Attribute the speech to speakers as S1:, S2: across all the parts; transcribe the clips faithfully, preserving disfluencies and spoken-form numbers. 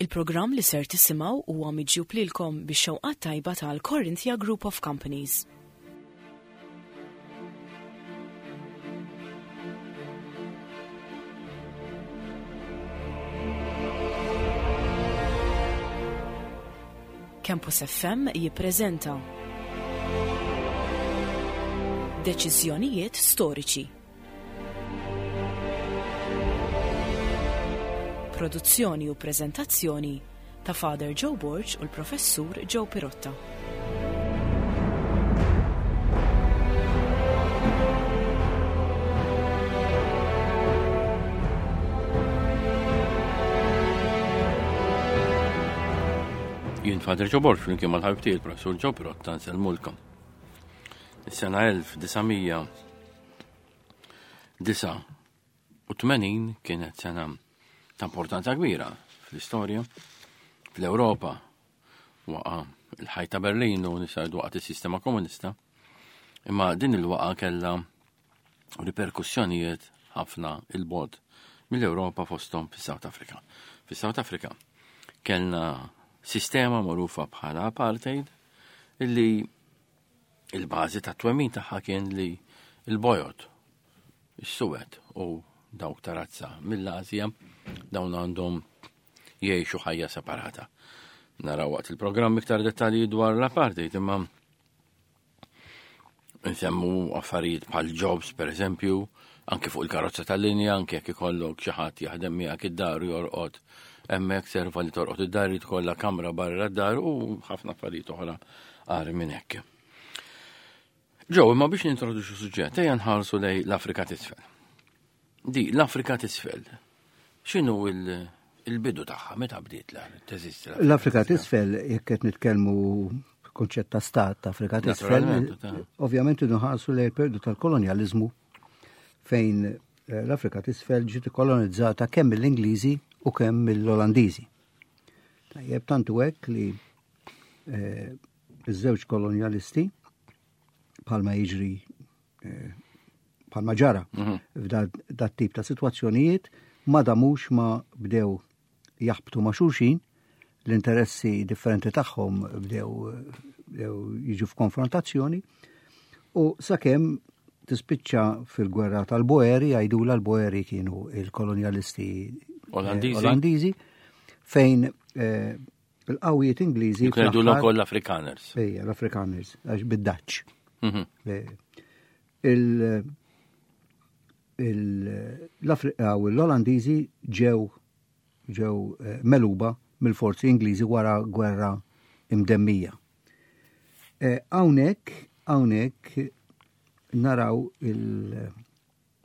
S1: Il-programm li ser tisimgħu huwa miġjub lilkom bix-xewqat tajba tal-Corinthia Group of Companies. Campus F M jippreżenta Deċiżjonijiet storiċi. Produzzjoni u preżentazzjoni ta' Father Joe Borg u l-Professur Joe Pirotta.
S2: Jien Father Joe Borg flimkien mal-ħabib tiegħi il-Professur Joe Pirotta nsellmulkom. Is-sena elf disa' mija disa' u tmenin kienet sena ta' importanza kbira fl-istorja, fl-Ewropa, waqa' il-ħajt ta' Berlin u nisajdu waqgħet is-sistema komunista, imma din il-waqa' kellha riperkussjonijiet ħafna il-bogħod mill-Ewropa fosthom fis-South Africa. Fis-South Africa kellna sistema magħrufa bħala apartheid illi il-bażi ta' twemmin tagħha kien li l-bojod, is-suwed u dawk ta' razza mill-Asja dawn għandhom jgħixu ħajja separata. Naraw waqt il-programm iktar dettalji dwar l-apartheid, imma nsemmu affarijiet bħal jobs, per eżempju, anke fuq il-karozza tal-linja, anke jekk ikollok xi ħadd jaħdem miegħek id-dar u jorqod hemmhekk, serva li torqod id-dar, li tkollha kamra barra d-dar u ħafna affarijiet oħra agħar minn hekk. Ġew, imma biex nintroduċu suġġett, ejja nħarsu lejn l-Afrika t'Isfel. Di, l-Afrika t'Isfel, x'inhu il-, il-bidu tagħha, meta bdiet la teżisti l-Afrika
S3: L-Afrika
S2: t'Isfel?
S3: t'Isfel, jekk qed nitkellmu konċett ta' stat ta' Afrika t'Isfel,
S2: Naturalment, ta'
S3: ovvjament inħarsu lejn il-periodu tal-kolonjaliżmu fejn, eh, l-Afrika t'Isfel ġiet ikkolonizzata kemm mill-Ingliżi u kemm mill-Olandiżi. Tajjeb, tantu hekk li, eh, iż-żewġ kolonjalisti bħalma jiġri, eh, bħalma ġara
S2: Mhm.
S3: f'da dat tip ta' sitwazzjonijiet ma damux ma bdew jaħbtu ma' xulxin, l-interessi differenti tagħhom bdew, bdew jiġu f'konfrontazzjoni u sakemm tispiċċa fil-gwerra tal-Boeri, jgħidula l-Boeri kienu il-kolonjalisti, eh,
S2: Olandiżi.
S3: Olandiżi, fejn, eh, il-qawwiet Ingliżi
S2: Kienu jgħidulhom
S3: fl-aħħar
S2: ukoll l-Afrikaners.
S3: Ejja, l-Afrikaners, għax bid-Dutch.
S2: Mhm.
S3: Eh, il-, il-, l-Afrika u l-Olandiżi ġew, ġew, eh, meluba mill-forzi Ingliżi wara gwerra imdemmija. Eh, hawnhekk, hawnhekk naraw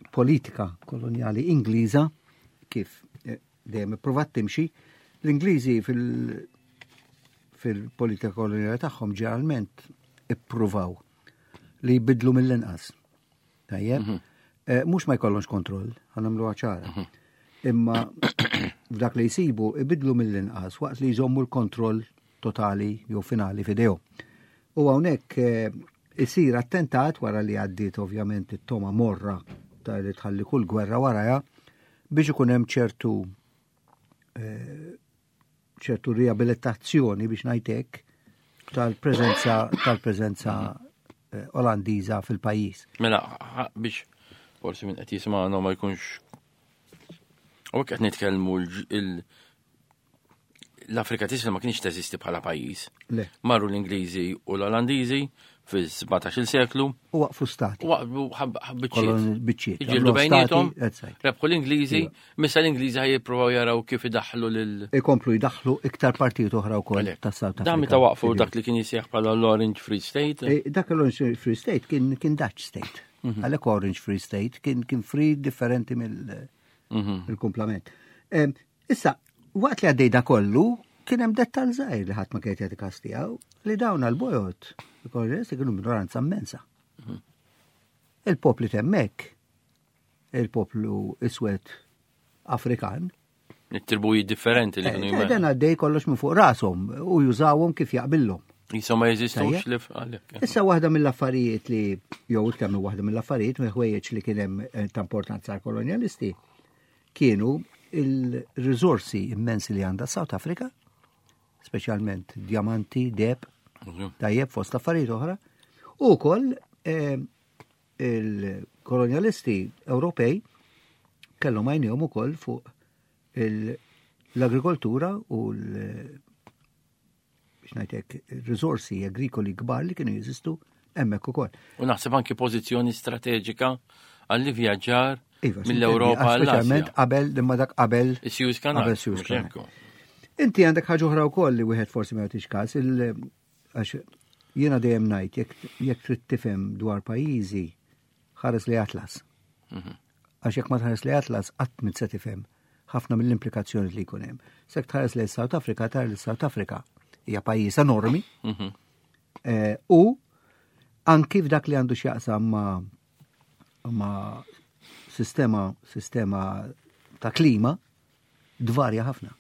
S3: il-politika kolonjali Ingliża kif, eh, dejjem ippruvat timxi. L-Ingliżi fil-, fil-politika kolonjali tagħhom ġeneralment ippruvaw li jbidlu mill-inqas. Tajjeb?
S2: Mhm.
S3: Eh, mhux ma jkollhomx kontroll, ħa nagħmluha ċara.
S2: Mhm.
S3: Imma f'dak li jsibu ibidlu mill-inqas waqt li jżommu l-kontroll totali jew finali f'idejhom. U hawnhekk, eh, isir attentat wara li għaddiet ovvjament it-toma morra ta' li tħalli kull gwerra warajha biex ikun hemm ċertu, eh, ċertu riabilitazzjoni biex ngħid hekk tal-preżenza, tal-preżenza, eh, Olandiża fil-pajjiż.
S2: Mela, ħa, biex forsi min qed jismagħna ma jkunx u hekk qed nitkellmu l-, il-, l-Afrika t'Isfel ma kienx teżisti bħala pajjiż.
S3: Le.
S2: Marru l-Ingliżi u l-Olandiżi fis-sbatax-il seklu.
S3: U waqfu stati.
S2: U waqfu ħab-, ħab biċċiet.
S3: Kolon biċċiet.
S2: Iġildu
S3: Għamlu
S2: bejniethom,
S3: stati, that's right.
S2: rebħu l-Ingliżi,
S3: Iva.
S2: missa l-Ingliżi ħaj jippruvaw jaraw kif idaħħlu lil
S3: Ikomplu jdaħħlu iktar partijiet oħra wkoll
S2: Għalhekk.
S3: tas-South
S2: Dan
S3: Africa.
S2: meta waqfu
S3: Iva.
S2: dak li kien jisejjaħ bħala l-Orange Free State?
S3: E, dak l-Orange Free State kien, kien Dutch State.
S2: Mhm.
S3: Għalhekk Orange Free State kien, kien free differenti mill-
S2: Mhm.
S3: mill-kumplament. Em, issa, waqt li għaddej da kollu, kien hemm dettal żgħir li ħadd ma kien jagħti każ tiegħu, li dawn għall-bojod, il-kolonialisti kienu minoranza immensa.
S2: Mhm.
S3: Il-popli temmek, il-poplu iswed Afrikan.
S2: It-tribuji differenti li
S3: Eh,
S2: kienu
S3: eh,
S2: jmexxu.
S3: Dan għaddej kollox minn fuq rashom u jużawhom kif jaqbillhom.
S2: Jisom ma jeżistux
S3: Tajjeb.
S2: li f-, għalhekk.
S3: Issa waħda mill-affarijiet li, jew iktar minn waħda mill-affarijiet, mill ħwejjeġ li kien hemm, eh, ta' importanza għall-kolonjalisti, kienu il-risorsi immensi li għandha South Africa, speċjalment diamanti, deheb, tajjeb, fost affarijiet oħra, u wkoll eh, il-kolonjalisti Ewropej kellhom għajnejhom ukoll fuq l-agrikoltura u l- biex ngħidlek risorsi agrikoli kbar li kienu jeżistu hemmhekk ukoll.
S2: U naħseb anki pożizzjoni strateġika għall-vjaġġar
S3: Iva,
S2: mill-Ewropa
S3: speċjalment
S2: għall-Asja.
S3: Qabel, imma dak qabel
S2: Is-Suez Canal.
S3: Qabel Suez
S2: Mhux
S3: Canal.
S2: hekk.
S3: Inti għandek ħaġa oħra wkoll li wieħed forsi ma jagħtix każ, il- għax jiena dejjem ngħid jekk jekk trid tifhem dwar pajjiżi, ħares lejn atlas. Għax jekk ma tħares lejn atlas, qatt m'int se tifhem ħafna mill-implikazzjoni li jkun hemm. Jekk tħares lejn South Africa, tara li South Africa hija pajjiż enormi
S2: Mhm.
S3: eh, u anki f'dak li għandu x'jaqsam ma' ma' sistema sistema ta' klima dvarja ħafna.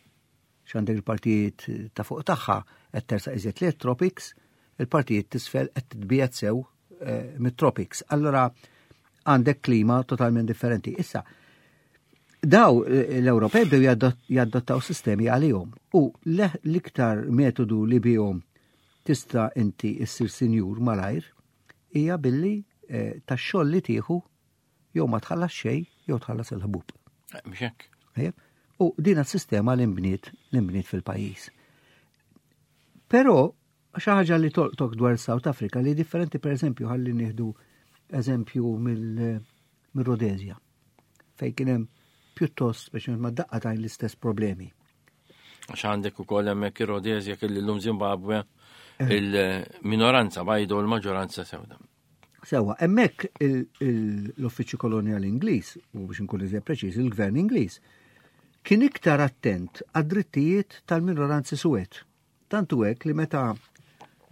S3: X'għandek il-partijiet ta' fuq tagħha qed tersaq iżjed lejn tropics, il-partijiet t'isfel qed titbiegħed sew eh, mit-tropics. Allora għandek klima totalment differenti. Issa, daw eh, l-Ewropej bdew jadott- jaddottaw sistemi għalihom u le- l-iktar metodu li bihom tista' inti issir sinjur malajr hija billi eh, tax-xogħol li tieħu jew ma tħallas xejn jew tħallas il-ħbub.
S2: Eh, Mhux hekk.
S3: Tajjeb? U din s-sistema li nbniet li nbniet fil-pajjiż. Però xi ħaġa li tolqtok dwar South Africa li differenti, per eżempju, ħalli nieħdu eżempju mill-Rhodesia, fejn kien hemm pjuttost biex ma daqqa tajn l-istess problemi.
S2: Għax għandek ukoll hemmhekk ir-Rhodesia kelli llum Zimbabwe, il-minoranza bajda u l-maġġoranza sewda.
S3: Sewa, hemmhekk l-Uffiċċju Kolonjali Ingliż, u biex nkun iżjed preċiż, il-Gvern Ingliż, kien iktar attent għad-drittijiet tal-minoranzi suwed. Tantu hekk li meta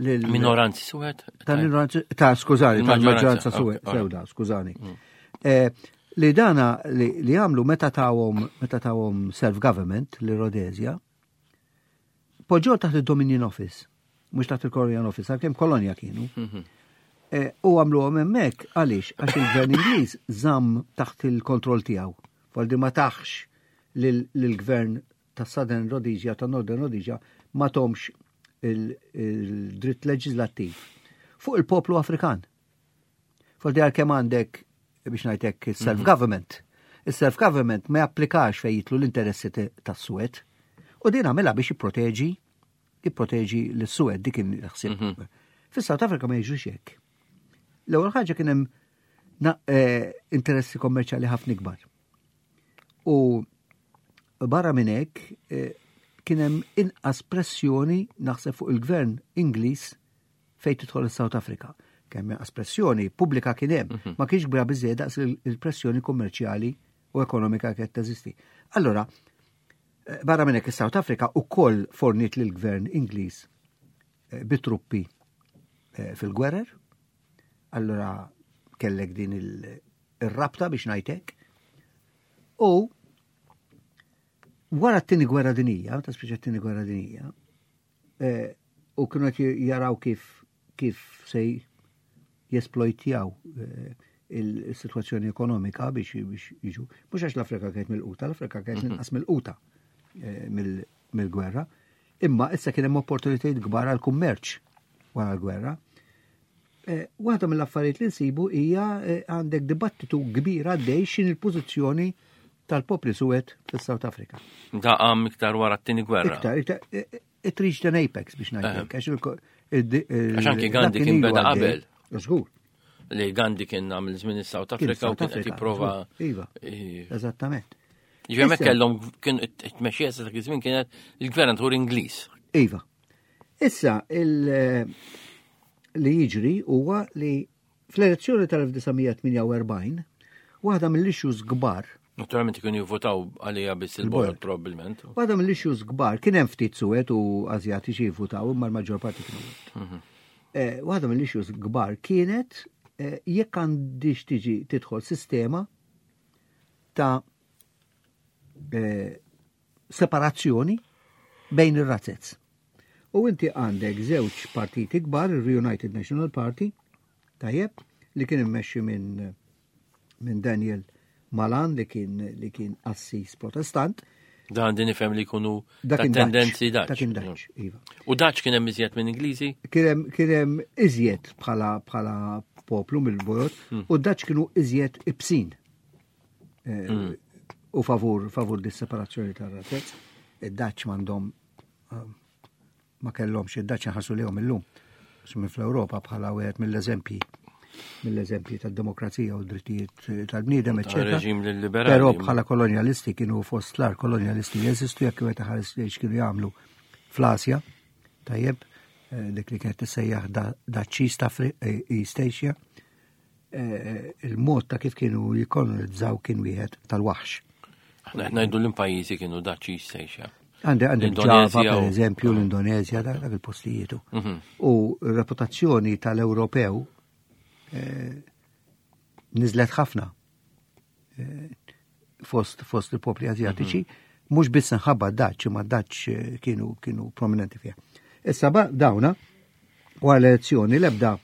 S3: lil-
S2: Minoranzi suwed?
S3: Tal-minoranzi, ta' skużani,
S2: Il-maġġoranza,
S3: tal-maġġoranza suwed,
S2: ok,
S3: sewda, skużani. Eh, Li dana li li għamlu meta tawhom meta tawhom self-government li Rhodesia, poġġew taħt il-Dominion Office, mhux taħt il-Colonial Office, għalkemm kolonja kienu. Eh, U għamluhom hemmhekk għaliex? Għax il-gvern Ingliż żamm taħt il-kontroll tiegħu. Voldi ma taħx lill-gvern ta' Southern Rhodesia, ta' Northern Rhodesia, ma tahomx il-dritt leġislattiv fuq il-poplu Afrikan. Voldi għalkemm għandek, biex ngħidlek, self-government. Il-self-government ma japplikax fejn jidħlu l-interessi tas-suwed. U din għamilha biex jipproteġi jipproteġi l-suwed, dik kien il-ħsieb. Fis-South Africa ma jiġrix hekk. L-ewwel ħaġa kien hemm na- eh, interessi kommerċjali ħafna ikbar. U barra minn hekk eh, kien hemm inqas pressjoni, naħseb, fuq il-gvern Ingliż fejn tidħol is-South Africa. Kemm inqas pressjoni pubblika kien hemm, ma kienx kbira biżejjed daqs il- il-pressjoni kummerċjali u ekonomika kienet teżisti. Allora, eh, barra minn hekk is-South Africa ukoll fornit lill-gvern Ingliż eh, bitruppi eh, fil-gwerer. Allora kellek din il- il-rabta biex ngħidlek. U wara t-tieni gwerra dinija, ta' speċa t-tieni gwerra dinija, eh, u kienu qed jaraw kif kif se jesplojtjaw eh, il-situazzjoni ekonomika biex biex jiġu. Mhux għax l-Afrika kienet milquta, l-Afrika kienet inqas milquta eh, mill- mill-gwerra, imma issa kien hemm opportunitajiet kbar għal kummerċ wara l-gwerra. Eh, Waħda mill-affarijiet li nsibu hija eh, għandek dibattitu kbir għaddej x'in il-pożizzjoni tal-popli suwed fis-South Africa.
S2: Da qam iktar wara t-tieni gwerra.
S3: Iktar, iktar, eh, eh, it reached an apex biex ngħidlek, għax il- il-
S2: Għax anki
S3: dak
S2: Gandhi kien
S3: ilu
S2: beda
S3: għaddej.
S2: qabel.
S3: Żgur.
S2: Li Gandhi kien għamil żmien is-South
S3: Kien
S2: Africa u
S3: South
S2: kien qed
S3: Africa,
S2: jipprova.
S3: żgur. Iva,
S2: Eh,
S3: eżattament.
S2: Ġifieri hemmhekk
S3: Issa-
S2: kellhom kien it-tmexxija sa dak iż-żmien kienet il-gvernatur Ingliż.
S3: Iva. Issa, il- li jiġri huwa li fl-elezzjoni tal-elf disa' mija tmienja u erbgħin, waħda mill-issues kbar,
S2: Naturalment kienu jivvotaw għalija biss
S3: Il-bojod.
S2: il-bojod probabbilment.
S3: Waħda mill-issues kbar, kien hemm ftit suwed u Azjatiċi jivvutaw, imma l-maġġor parti kienu suwed. Eh, Waħda mill-issues kbar kienet eh, jekk għandix tiġi tidħol sistema ta' eh, separazzjoni bejn ir-razzez. U inti għandek żewġ partiti kbar, il-Reunited National Party, tajjeb, li kien immexxi minn minn Daniel Malan li kien li kien qassis Protestant.
S2: Dan din nifhem li jkunu
S3: Dak
S2: ta'
S3: kien Dutch.
S2: tendenzi Dutch.
S3: Dak kien Dutch, iva.
S2: U Dutch kien hemm iżjed minn Ingliżi?
S3: Kien hemm kien hemm iżjed bħala bħala poplu mill-bojod u d-Dutch kienu iżjed ibsin. Eh, U favur favur dis-separazzjoni tar-razez. Id-Dutch m'għandhom eh, ma kellhomx id-Dutch ħarsu lejhom illum. Minn fl-Ewropa bħala wieħed mill-eżempji mill-eżempji tad-demokrazija u d-drittijiet tal-bniedem,
S2: Ta'
S3: eċetera.
S2: reġim liberali.
S3: Però bħala kolonjalisti kienu fost l-agħar kolonjalisti li jeżistu jekk wieħed ħares li x'kienu jagħmlu fl-Asja, tajjeb, eh, dik li kienet tissejjaħ da- Dutch East Afri- eh, East Asia, eh, il-mod ta' kif kienu jikkolonizzaw kien wieħed tal-waħx.
S2: Aħna qed ngħidu l-pajjiżi kienu Dutch East Asia.
S3: Għandek għandek Ġava,
S2: L-Indonezja
S3: per
S2: u-
S3: eżempju, l-Indonezja, dak dak il-postijietu.
S2: Mhm.
S3: U r-reputazzjoni tal-Ewropew eh, nizlet ħafna eh, fost, fost il-popli azjatiċi, mhux biss nħabba d-Dutch, imma d-Dutch eh, kienu, kienu prominenti fiha. Issa ba dawna, wara l-elezzjoni, lebda,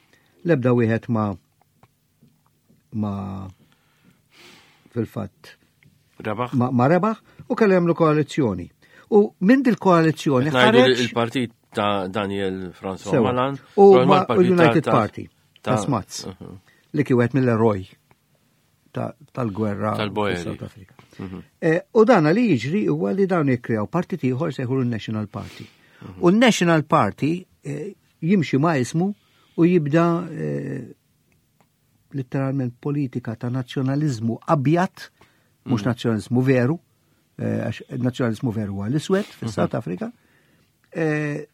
S3: lebda wieħed ma ma fil-fatt
S2: Rebaħ?
S3: ma, ma rebaħ u kellu jagħmlu koalizzjoni. U minn dil koalizzjoni
S2: Qed ngħidu
S3: ħareġ
S2: il-partit ta' Daniel François
S3: Sewa.
S2: Malan
S3: U
S2: u
S3: ma-
S2: l-partit
S3: United
S2: ta'
S3: Party ta' Smuts
S2: Mhm.
S3: li kien wieħed mill-eroj ta- tal-gwerra
S2: Tal-Boeri.
S3: fis-South Africa. Eh, U dana li jiġri huwa li dawn jikkrew partit ieħor sejħulu n-National Party. U n-National Party eh, jimxi ma' ismu u jibda eh, letteralment politika ta' nazzjonalizmu abjad, mhux nazzjonalizmu veru, eh, għax nazzjonalizmu veru huwa l-iswed fis-South Africa, eh,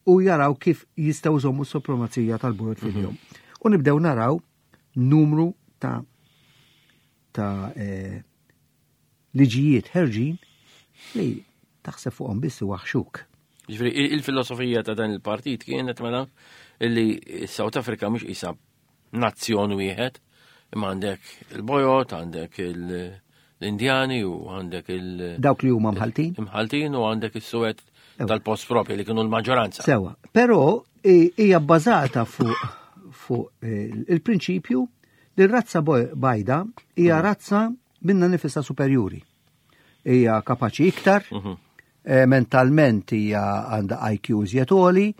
S3: u jaraw kif jistgħu jżommu s-supremazija tal-bojod fil-jum. U nibdew naraw numru ta' ta' eh, liġijiet ħerġin li taħseb fuqhom biss waħxuk.
S2: Ġifieri, il- il-filosofija ta' dan il-partit kienet mela illi South Africa mhux isa nazzjon wieħed, imma għandek il-bojot, għandek il- l-Indjani u għandek il-
S3: Dawk li huma mħaltin.
S2: imħaltin u għandek is-suwed
S3: Ewa.
S2: tal-post propri li kienu l-maġġoranza.
S3: Sewa, però i- hija bbażata fuq fuq eh, il-prinċipju li r-razza boj- bajda hija razza minna nifisha superjuri. Hija kapaċi iktar, eh, mentalment hija għandha I Q iżjed għoli,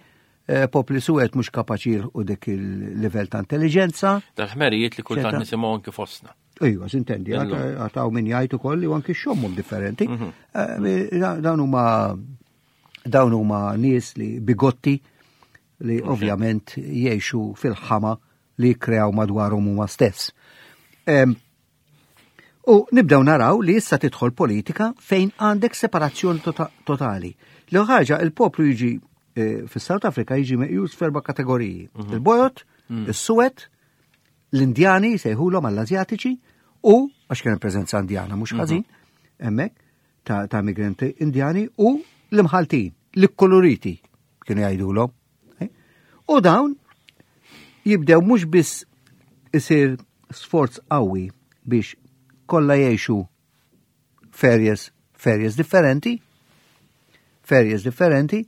S3: eh, popli suwed mhux kapaċi jilħqu dik il-livell ta' intelligenza.
S2: Dal-ħmerijiet li kultant
S3: Ċerta.
S2: nisimgħu anki fostna.
S3: Ejwa, sintendi,
S2: Illum.
S3: għataw min jgħid ukoll li anki xommhom differenti. Eh, Dawn huma dawn huma nies li bigotti li ovvjament jgħixu fil-ħama li kreaw madwarhom huma stess. Em, U nibdew naraw li issa tidħol politika fejn għandek separazzjoni tota- totali. L ħaġa il-poplu jiġi eh, fis-South Africa jiġi meqjus f'erba' kategoriji. Il-bojot, is-suwed, l-Indjani sejħulhom għall-Azjatiċi u għax kien hemm preżenza Indjana mhux ħażin hemmhekk ta', ta' migranti Indjani u l-imħaltin, l-koloriti kienu jgħidulhom. Eh? U dawn jibdew mhux biss isir sforz qawwi biex kollha jgħixu f'areas, f'areas differenti, f'areas differenti,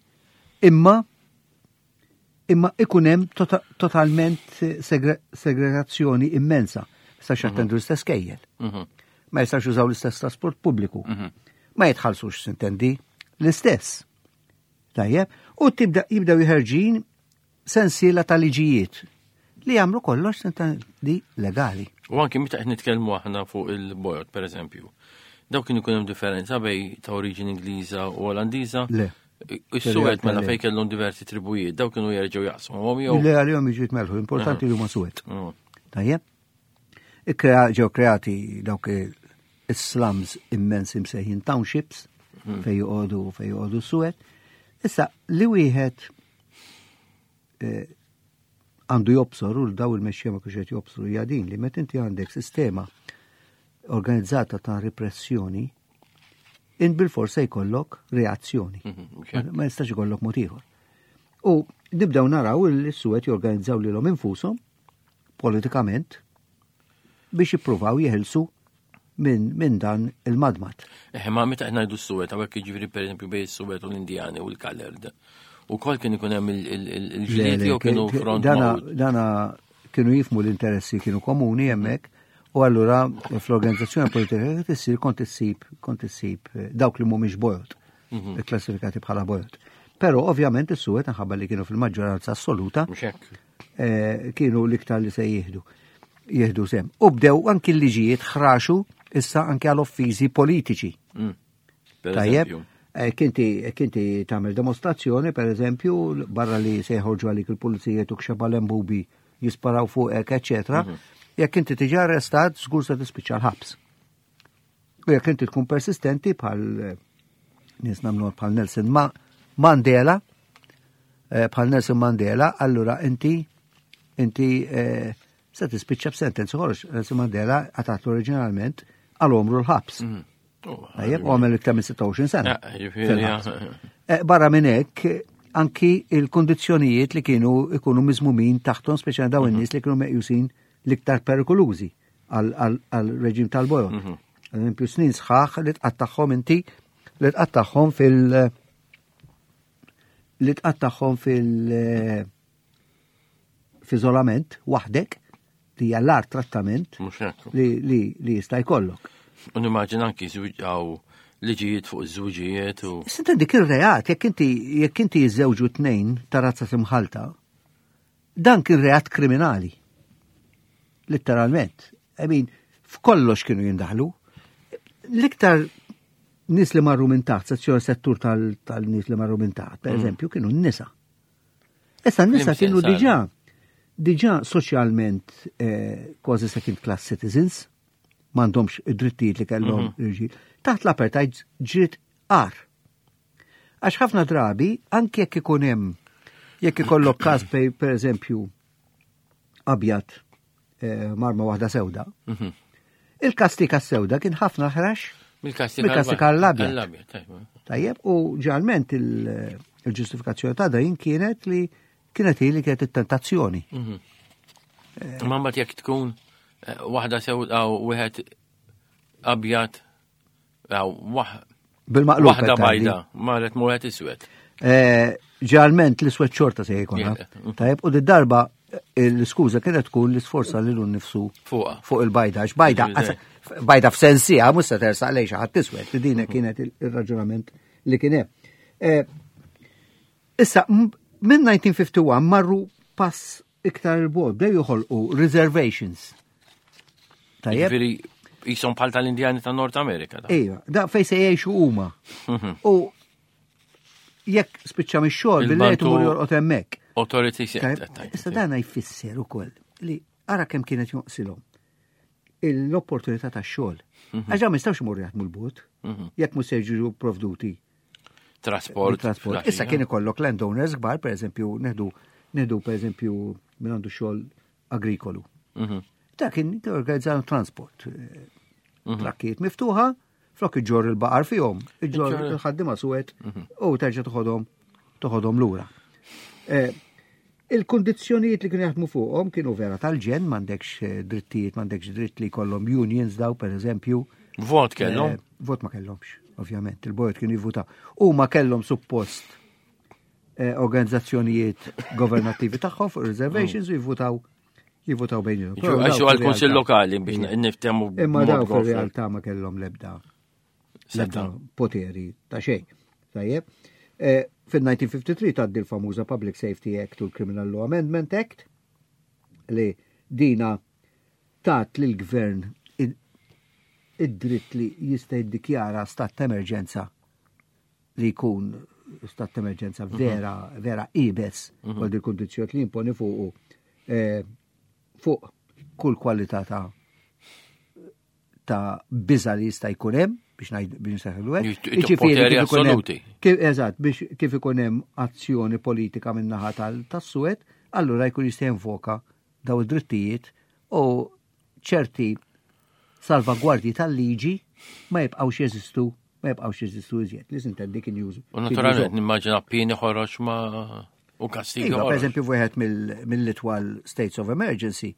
S3: imma imma ikun hemm tota, totalment segre, segregazzjoni immensa. Ma jistax jattendu l-istess skejjel. Ma jistax jużaw l-istess trasport pubbliku. Ma jitħallsux sintendi l-istess. Tajjeb, u tibda jibdew jħerġin sensiela ta' liġijiet li jagħmlu kollox sintendi legali.
S2: U anki meta qed nitkellmu aħna fuq il-bojot, per eżempju. Daw kienu jkun hemm differenza bej ta' oriġini Ingliża u Olandiża.
S3: Le.
S2: Is-suwed mela
S3: Le.
S2: fejn kellhom diversi tribujiet, daw kienu jerġgħu jaqsmuhom jew.
S3: Le għalihom jiġu jitmelħu, importanti li huma suwed.
S2: Mm.
S3: Tajjeb? Ikkrea ġew kreati dawk is-slums immensi msejħin townships fejn joqogħdu fejn joqogħdu suwed. Issa li wieħed eh, għandu jobsor u daw il-mexxija ma kienx qed jobsru hija din li meta inti għandek sistema organizzata ta' repressjoni, int bil-forsa jkollok reazzjoni.
S2: Mhm,
S3: Ma ma jistax ikollok mod ieħor. U nibdew naraw il-suwed jorganizzaw lilhom infushom politikament biex jippruvaw jeħilsu minn min dan il-madmat.
S2: Eh, ma meta qed ngħidu s-suwed, hawnhekk jiġifieri pereżempju bej is-suwed u l-Indjani u l-colored. U kol kien ikun hemm il-ġlied jew kienu front
S3: Dana,
S2: magħqud.
S3: dana kienu jifmu l-interessi kienu komuni hemmhekk U allura fl-organizzazzjoni politika li tissir kont issib kont issib eh, dawk li mhumiex bojod, mhm. klassifikati bħala bojod. Però ovvjament is-suwed minħabba li kienu fil-maġġoranza assoluta eh, kienu l-iktar li se jieħdu jieħdu sehem. U bdew anki l-liġijiet ħraxu issa anke għal offiżi politiċi. Mm. Tajjeb, eh, kinti kinti tagħmel demostrazzjoni, per eżempju, barra li se jħorġu għalik il-pulizija tuk xeba lembubi jisparaw fuqek, eċetera. Mhm. Jekk inti tiġi arrestat, żgur se tispiċċa l-ħabs. U jekk inti tkun persistenti bħal eh, nies nagħmlu bħal Nelson Ma Mandela, eh, bħal Nelson Mandela, allura inti inti eh, se tispiċċa b'sentenza ħorox. Nelson Mandela għatat oriġinalment għal omru l-ħabs. Mhm. Oh, Tajjeb, u għamel iktar minn sitta u għoxrin sena. Barra minn hekk, anki il-kondizzjonijiet li kienu ikunu miżmumin taħtom, speċjalment dawn mhm. in-nies li kienu meqjusin l-iktar perikolużi għal-reġim tal-bojod. Mhm. Eżempju, snin sħaħ li tqattagħhom inti li tqattagħhom fil- li tqattagħhom fil- f'iżolament waħdek li hija l-agħar trattament li, li, li jista' jkollok.
S2: U nimmaġina anki żwiġaw liġijiet fuq iż-żwiġijiet u.
S3: Sinta dik ir-reat, jekk inti jekk inti jiżżewġu tnejn ta' razza imħalta, dan kien reat kriminali. Letteralment. I mean, f'kollox kienu jindaħlu. L-iktar nies li marru minn taħt, sezzjoni settur tal-nies li marru minn taħt, per mm. eżempju, kienu n-nisa. Issa n-nisa kienu diġà diġà soċjalment eh, kważi second class citizens, m'għandhomx id-drittijiet li kellhom mhm. l-irġiel. Taħt l-apartheid ġiet agħar. Għax ħafna drabi, anke jekk ikun hemm, jekk ikollok każ per eżempju abjad eh, marma waħda sewda, mhm. il-kastika sewda kien ħafna ħrax mill-kastika l-abjad. Tajjeb, u ġalment il-ġustifikazzjoni ta' din kienet li kienet li kienet it-tentazzjoni.
S2: Mhm. Eh, ma mbagħad jekk tkun eh, waħda sewda u wieħed abjad
S3: Bil-maqlub.
S2: Waħda bajda, marret muħet iswed.
S3: Eh, ġalment l-iswed xorta se jkun. Tajjeb, u darba l-iskuża kienet tkun li sforza li l nifsu fuq il-bajda. Għax bajda, bajda f'sensija, mhux se tersaq lejn xi ħadd iswed. Din kienet il-raġunament li kien hemm. Eh, issa, minn elf disa' mija u wieħed u ħamsin marru pass iktar il-bogħod, bdew joħolqu reservations.
S2: Tajjeb. Jisom bħal tal-Indjani ta' Nord Amerika.
S3: Ejwa, da fej se jgħixu huma. Mhm. U jekk spiċċa mix-xogħol billi qed imur jorqod hemmhekk.
S2: Authority.
S3: Issa dan jfisser ukoll li ara kemm kienet jonqsilhom l-opportunità ta' xogħol. Mhm. Għax ma jistgħux imorru jaħdmu l-bogħod mhm. jekk mhux se jiġu provduti
S2: Trasport.
S3: Trasport. Issa kien ikollok landowners kbar, per eżempju, neħdu neħdu per eżempju minn għandu xogħol agrikolu. Ta' kien organizzaw transport. Mhm. Trakkijiet miftuħa, flok iġorr il-baqar fihom, iġorr il-ħaddima suwed mhm. u terġa' toħodhom toħodhom lura. Eh, il-kondizzjonijiet li kienu jaħdmu fuqhom kienu vera tal-ġenn, m'għandekx eh, drittijiet, m'għandekx dritt li jkollhom unions daw, per eżempju.
S2: Vot kellhom?
S3: Eh, vot ma kellhomx, ovvjament, il-bojod kienu jivvutaw. U ma kellhom suppost organizzazzjonijiet governattivi tagħhom fuq reservations u jivvutaw jivvotaw bejniethom.
S2: Għaxu għal-Kunsill Lokali biex niftehmu.
S3: Imma daw fil-realtà ma kellhom lebda lebda poteri ta' xejn. Tajjeb. Eh, fil-elf disa' mija u tlieta u ħamsin tgħaddi l-famuża Public Safety Act u l-Criminal Law Amendment Act li dina tat lil gvern id-dritt li jista' jiddikjara stat ta' emerġenza li jkun stat ta' emerġenza mhm. vera, vera iebes mm -hmm. il-kondizzjoni li jimponi fuqu eh, fuq kull kwalità ta' ta' biża li jista' jkun hemm biex ngħid biex nseħħlu
S2: hekk. Jiġifieri assoluti.
S3: Eżatt, biex kif ikun hemm azzjoni politika min-naħa tas-suwed, allura jkun jista' jinvoka daw id-drittijiet u ċerti salvagwardji tal-liġi ma jibqgħux jeżistu ma jibqgħux jeżistu iżjed. Li sintendi kien jużu.
S2: U naturalment nimmaġina pieni ħorox ma' u kastigi.
S3: Iva, per eżempju, wieħed mill-itwal states of emergency,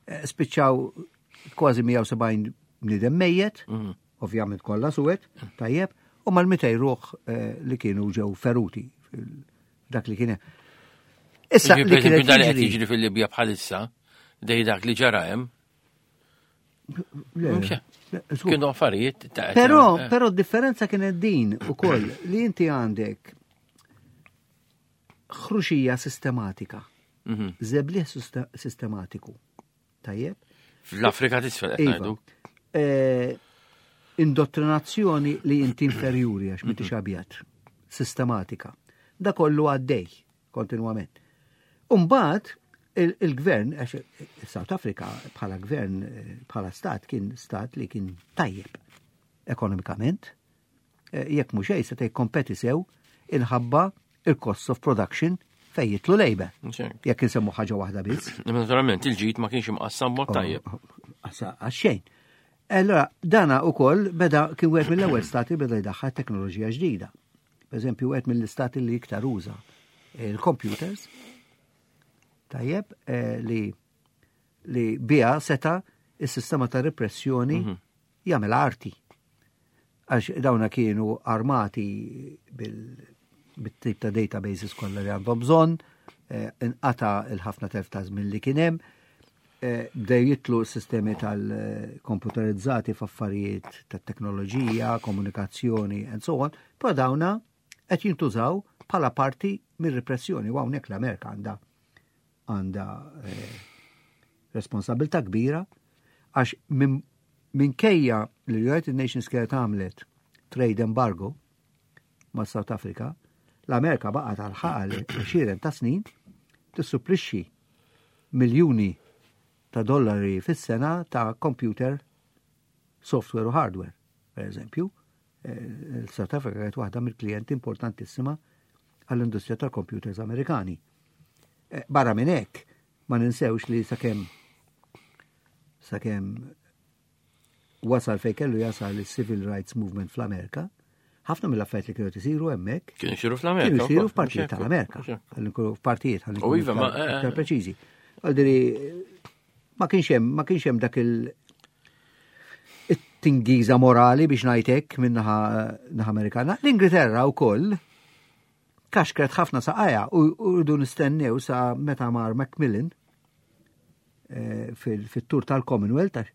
S3: eh, spiċċaw kważi mija u sebgħin bniedem mejjet, mhm. ovvjament kollha suwed, tajjeb, u mal-mitejn ruħ eh, li kienu ġew feruti dak li kien.
S2: Issa li kien qed jiġri fil-Libja bħalissa, dej dak li ġara hemm.
S3: Le,
S2: Mhux
S3: le, żgur.
S2: Kienu affarijiet ta'
S3: Però,
S2: eh,
S3: però differenza kienet din ukoll li inti għandek ħruxija sistematika,
S2: mhm.
S3: żebliħ susta- sistematiku. Tajjeb?
S2: Fl-Afrika t'isfel qed
S3: Iva.
S2: ngħidu.
S3: Eh, indottrinazzjoni li inti inferjuri għax m'intix abjad, sistematika. Da kollu għaddej, kontinwament. Umbagħad, il-gvern, għax South Africa bħala gvern, eh, bħala stat, kien stat li kien tajjeb ekonomikament, Eh, jekk mhux xejn seta' jikkompeti sew inħabba il-cost of production fejn jidħlu labor.
S2: Mhux hekk.
S3: Jekk insemmu ħaġa waħda biss.
S2: Imma Naturalment il-ġid ma kienx imqassam mod tajjeb.
S3: Għasa, għax-xejn. Allora, dana u koll beda kien wieħed mill-ewwel stati beda jdaħħal teknoloġija ġdida. Per eżempju, wieħed mill-istati li iktar uża il-computers, tajjeb, eh, li li bija seta il-sistema ta' repressjoni jagħmel arti. Għax dawna kienu armati bil- bit-tip ta' databases kollha li għandhom bżonn, eh, inqata il-ħafna telf ta' żmien li kien hemm, eh, bdew jidħlu sistemi tal-komputerizzati f'affarijiet tat-teknoloġija, komunikazzjoni and so on, però dawna qed jintużaw bħala parti mir-repressjoni u hawnhekk l-Amerika għandha għandha eh, responsabilità kbira għax minn minkejja li l-United Nations kienet għamlet trade embargo ma' South Africa, l-Amerika baqgħet għal ħaqal għexieren ta' snin tissupplixxi miljuni ta' dollari fis-sena ta' computer software u hardware, per eżempju. Eh, Il-South Africa kienet waħda mill-klijenti importantissima għall-industrija tal-computers Amerikani. Eh, Barra minn hekk, ma ninsewx li sakemm sakemm wasal fej kellu jasal il-Civil Rights Movement fl-Amerika, ħafna mill-affarijiet li kienu isiru hemmhekk
S2: Kienu jsiru fl-Amerika.
S3: kienu jsiru
S2: wkoll,
S3: f'partijiet
S2: mhux hekk,
S3: tal-Amerika.
S2: mhux hekk.
S3: Ħalli nkunu f'partijiet, ħalli
S2: U
S3: nkunu
S2: iva, ma-
S3: iktar-
S2: eh,
S3: iktar preċiżi. Għaldiri, ma kienx hemm, ma kienx hemm dak il it-tingiża morali biex ngħidlek minn naħa naħa Amerikana. L-Ingilterra wkoll kaxkret ħafna saqajja u u rridu nistennew sa meta mar Macmillan eh, fil- fit-tur tal-Commonwealth għax,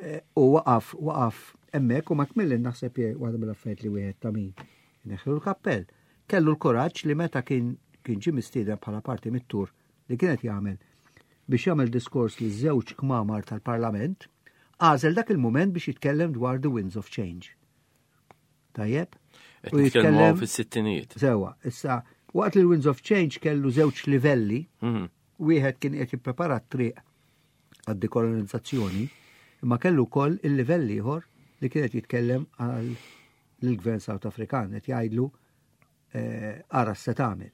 S3: eh, u waqaf waqaf hemmhekk u Macmillan naħseb je waħda mill-affarijiet li wieħed ta' min neħlu l-kappell. Kellu l-kuraġġ li meta kien kien ġie mistieden bħala parti mit-tur li kienet jagħmel biex jagħmel diskors li żewġ kmamar tal-Parlament, għażel dak il-moment biex jitkellem dwar the winds of change. Tajjeb?
S2: Qed nitkellmu hawn fis-sittinijiet.
S3: Sewa, issa, waqt li l-Winds of Change kellu żewġ livelli,
S2: Mhm.
S3: wieħed kien qed jipprepara t-triq għad-dekolonizzazzjoni, imma kellu wkoll il-livell ieħor li kien qed jitkellem għal l-gvern South Afrikan, qed jgħidlu eh, ara se tagħmel.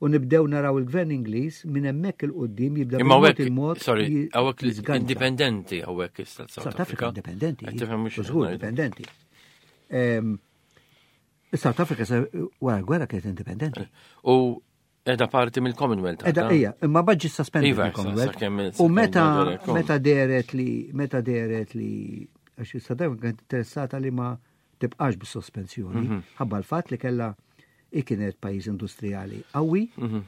S3: U nibdew naraw il-gvern Ingliż minn hemmhekk il-qudiem jibda
S2: Imma
S3: bil-mod
S2: hawnhekk,
S3: il-mod
S2: sorry,
S3: ji-
S2: hawnhekk
S3: jiżganċa.
S2: indipendenti hawnhekk issa
S3: South Africa indipendenti.
S2: Qed tifhem mhux
S3: Żgur indipendenti. Ehm, South Africa sa wara l-gwerra kienet indipendenti.
S2: U edha parti mill-Commonwealth.
S3: Edha
S2: għadha?
S3: ija, imma baġġi suspended
S2: Iva,
S3: il-Commonwealth.
S2: sakemm-
S3: U
S2: sakemm
S3: meta
S2: dwar
S3: meta deret li meta deret li għax South Africa kienet interessata li ma tibqax bis-sospensjoni,
S2: Mhm.
S3: ħabba l-fatt li kella i kienet pajjiż industrijali qawwi
S2: Mhm.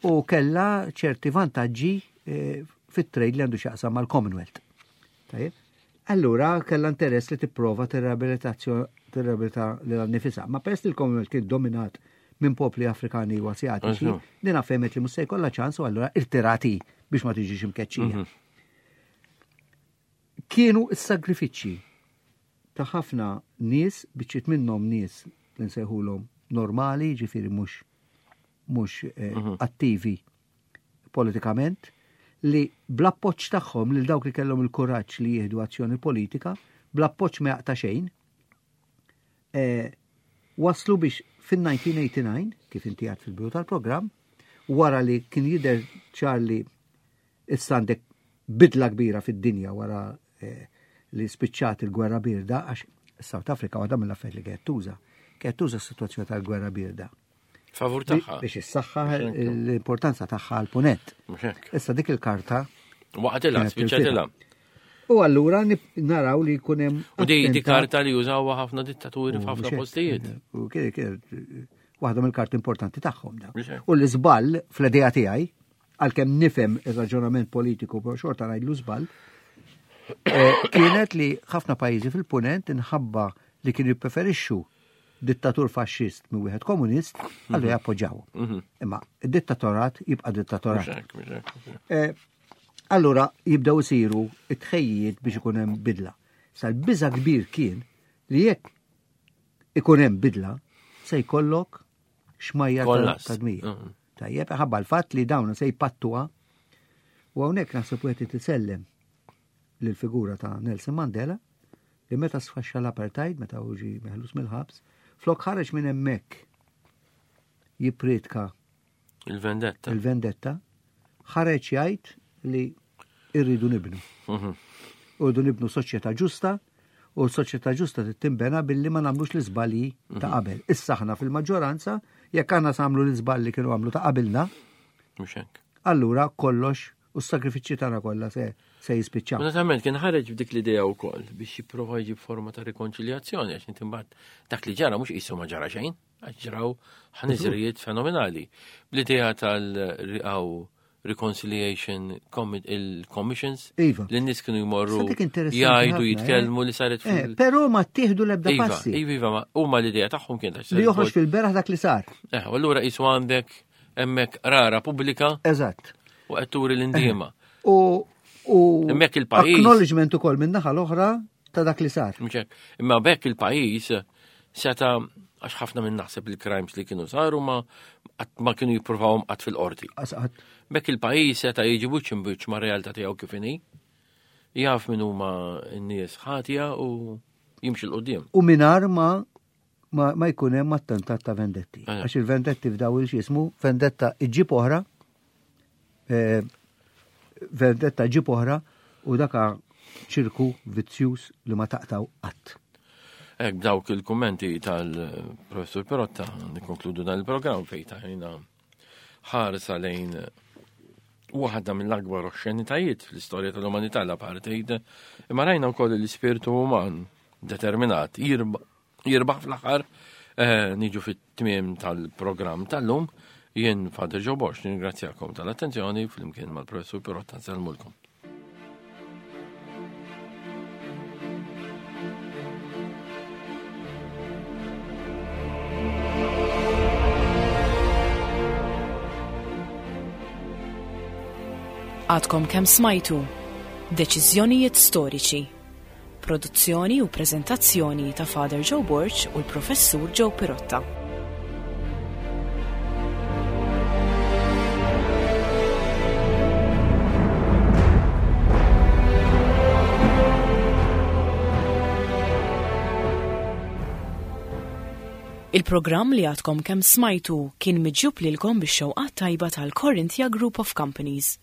S3: u kella ċerti vantaġġi eh, fit-trade li għandu x'jaqsam mal-Commonwealth. Tajjeb? Allura kella interess li tipprova tirriabilitazzjoni tirriabilita lilha nnifisha. Ma peress li l-Commonwealth kien dominat minn popli Afrikani u Asjatiċi,
S2: Eżatt.
S3: dina fehmet li mhux se jkollha ċans u allura irtirati biex ma tiġix imkeċċija. Kienu s-sagrifiċċji ta' ħafna nies, biċċiet minnhom nies li nsejħulhom normali, ġifieri mhux mhux eh, attivi politikament, li bl-appoġġ tagħhom lil dawk li kellhom il-kuraġġ li jieħdu azzjoni politika, bl-appoġġ ma jaqta' xejn, eh, waslu biex fin-elf disa' mija u tmienja u disgħin, kif inti għad fil-bidu tal-programm, wara li kien jidher ċar li issa għandek bidla kbira fid-dinja wara eh, li spiċċat il-gwerra birda, għax South Africa waħda mill-affarijiet li kienet tuża, kienet tuża s-sitwazzjoni tal-gwerra birda.
S2: Favur tagħha.
S3: Biex issaħħa l-importanza tagħha għal punent.
S2: Mhux hekk.
S3: Issa dik il-karta
S2: Waqtilha,
S3: Kienet
S2: spiċċatilha.
S3: U allura nib- naraw li jkun hemm
S2: U di di
S3: attentat-
S2: karta li jużawha ħafna dittaturi
S3: U
S2: f'ħafna
S3: mhux hekk.
S2: postijiet.
S3: U kien kien waħda mill-karti importanti tagħhom da.
S2: Mhux hekk.
S3: U l-iżball fl-idea tiegħi, għalkemm nifhem ir-raġunament politiku però xorta ngħidlu żball, Eh, kienet li ħafna pajjiżi fil-punent inħabba li kienu jippreferixxu dittatur faxxist minn wieħed komunist, għallu jappoġġaw. Imma id-dittatorat jibqa' dittatorat.
S2: Mhux hekk, mhux hekk, mhux hekk.
S3: Eh, Allura jibdew isiru it-tħejjiet biex ikun hemm bidla. Sa l-biża kbir kien li jekk ikun hemm bidla se jkollok xmajja ta'
S2: Kollass.
S3: ta' dmija.
S2: Mm.
S3: Tajjeb, ħabba l-fatt li dawn se jpattuha u hawnhekk naħseb wieħed itisellem lill-figura ta' Nelson Mandela li meta sfaxxa l-apartheid, meta hu ġie meħlus mill-ħabs, flok ħareġ minn hemmhekk jippriedka
S2: Il-vendetta.
S3: il-vendetta, ħareġ jgħid li irridu nibnu.
S2: Mhm.
S3: Irridu nibnu soċjetà ġusta u l-soċjetà ġusta trid tinbena billi ma nagħmlux l-iżbalji ta' qabel. Issa aħna fil-maġġoranza jekk aħna nagħmlu l-iżbalji kienu għamlu ta' qabilna,
S2: Mhux hekk.
S3: allura kollox u s-sagrifiċċji tagħna kollha se se jispiċċaw.
S2: Naturalment kien ħareġ b'dik l-idea wkoll biex jipprova jġib forma ta' rikonċiljazzjoni għax inti imbagħad dak li ġara mhux qisu ma ġara xejn, għax ġraw ħniżrijiet fenomenali. Bl-idea tal-riqaw Reconciliation Commi- il-Commissions
S3: Iva.
S2: li n-nies kienu jmorru
S3: Sa dik interessanti
S2: jgħidu
S3: ħafna,
S2: jitkellmu li saret
S3: Eh,
S2: fil-
S3: però ma ttieħdu l-ebda
S2: Iva,
S3: passi
S2: iva, iva, ma huma l-idea tagħhom kienet għax
S3: li
S2: saret
S3: joħroġ fil-beraħ dak li sar.
S2: Eh, u allura qisu għandek hemmhekk rara pubblika
S3: Eżatt.
S2: u qed turi l-indiema.
S3: U u
S2: Hemmhekk il-pajjiż-
S3: acknowledgement ukoll minn naħa l-oħra ta' dak li sar.
S2: Mhux hekk. Imma bekk il-pajjiż seta għax ħafna minn naħseb il-crimes li kienu saru ma qatt ma kienu jippruvawhom qatt fil-qorti.
S3: Asqat.
S2: Bekk il-pajjiż seta jiġi wiċċ imbiċċ ma' realtà tiegħu kif inhi. Jaf min huma n-nies ħatja u jimxi 'l quddiem.
S3: U minar ma ma, ma jkun hemm attentat ta' vendetti.
S2: Eh.
S3: Għax il-vendetti f'daw il-xismu, vendetta iġġib oħra, eh, vendetta ġib oħra u daka ċirku vizzjuż li ma taqtaw qatt.
S2: Ek b'dawk il-kummenti tal-professur Perotta nikkonkludu dan il-programm fejn tajna ħarsa lejn waħda mill-akbar oxxenitajiet fl-istorja tal-umanità l-apartheid, imma rajna wkoll l-ispirtu uman determinat jirba- jirbaħ fl-aħħar eh, niġu fit-tmiem tal-programm tal-lum jien Father Joe Borg ningrazzjakom tal-attenzjoni flimkien mal-professur Perotta nsellmulkom.
S1: Għadkom kemm smajtu Deċiżjonijiet storiċi. Produzzjoni u preżentazzjoni ta' Father Joe Borg u l-Professur Joe Pirotta. Il-programm li għadkom kemm smajtu kien miġjub lilkom bix-xewqat tajba tal-Corinthia Group of Companies.